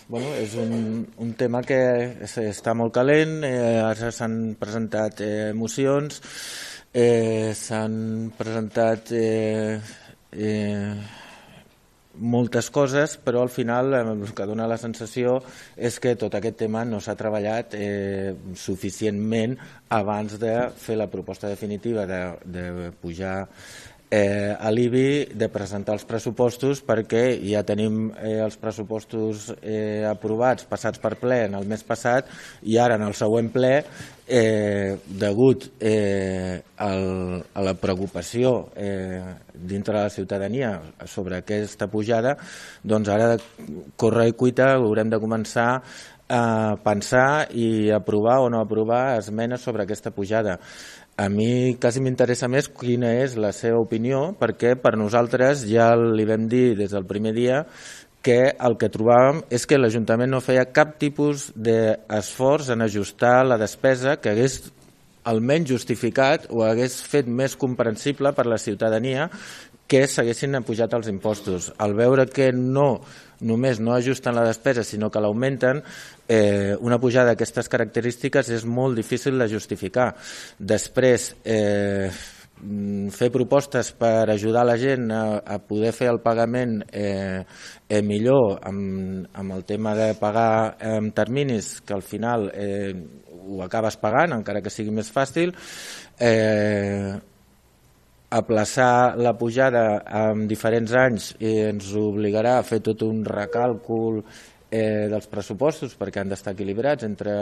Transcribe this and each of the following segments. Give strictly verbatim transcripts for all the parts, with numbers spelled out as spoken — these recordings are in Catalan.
bueno, és un, un tema que està molt calent, eh, ara s'han presentat eh, mocions, eh, s'han presentat eh, eh, moltes coses, però al final el que dona la sensació és que tot aquest tema no s'ha treballat eh, suficientment abans de fer la proposta definitiva de, de pujar eh, a l'I B I, de presentar els pressupostos, perquè ja tenim eh, els pressupostos eh, aprovats, passats per ple en el mes passat, i ara en el següent ple, eh, degut eh, al, a la preocupació eh, dintre de la ciutadania sobre aquesta pujada, doncs ara corre i cuita haurem de començar a pensar i aprovar o no aprovar esmenes sobre aquesta pujada. A mi quasi m'interessa més quina és la seva opinió, perquè per nosaltres ja li vam dir des del primer dia que el que trobàvem és que l'Ajuntament no feia cap tipus d'esforç en ajustar la despesa que hagués almenys justificat o hagués fet més comprensible per la ciutadania que s'haguessin pujat els impostos. Al veure que no només no ajusten la despesa, sinó que l'augmenten, eh, una pujada d'aquestes característiques és molt difícil de justificar. Després, eh, fer propostes per ajudar la gent a, a poder fer el pagament eh, eh, millor amb, amb el tema de pagar en terminis, que al final eh, ho acabes pagant, encara que sigui més fàcil, eh, aplaçar la pujada en diferents anys i ens obligarà a fer tot un recàlcul eh, dels pressupostos perquè han d'estar equilibrats entre,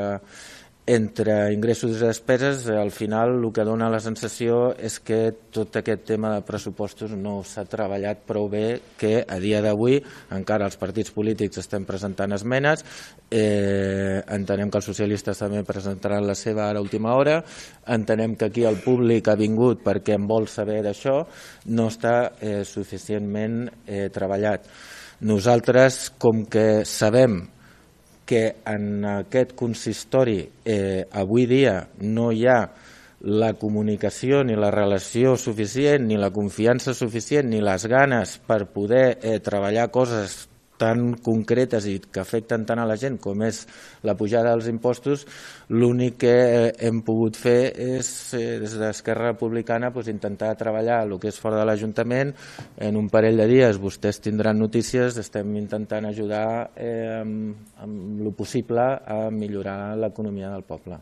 entre ingressos i despeses. Al final el que dona la sensació és que tot aquest tema de pressupostos no s'ha treballat prou bé, que a dia d'avui encara els partits polítics estem presentant esmenes, eh, entenem que els socialistes també presentaran la seva ara a última hora, entenem que aquí el públic ha vingut perquè en vol saber d'això, no està eh, suficientment eh, treballat. Nosaltres, com que sabem que en aquest consistori eh, avui dia no hi ha la comunicació ni la relació suficient, ni la confiança suficient, ni les ganes per poder eh, treballar coses tan concretes i que afecten tant a la gent com és la pujada dels impostos, l'únic que hem pogut fer és, eh, des d'Esquerra Republicana, pues, intentar treballar el que és fora de l'Ajuntament. En un parell de dies vostès tindran notícies, estem intentant ajudar eh, amb, amb el possible a millorar l'economia del poble.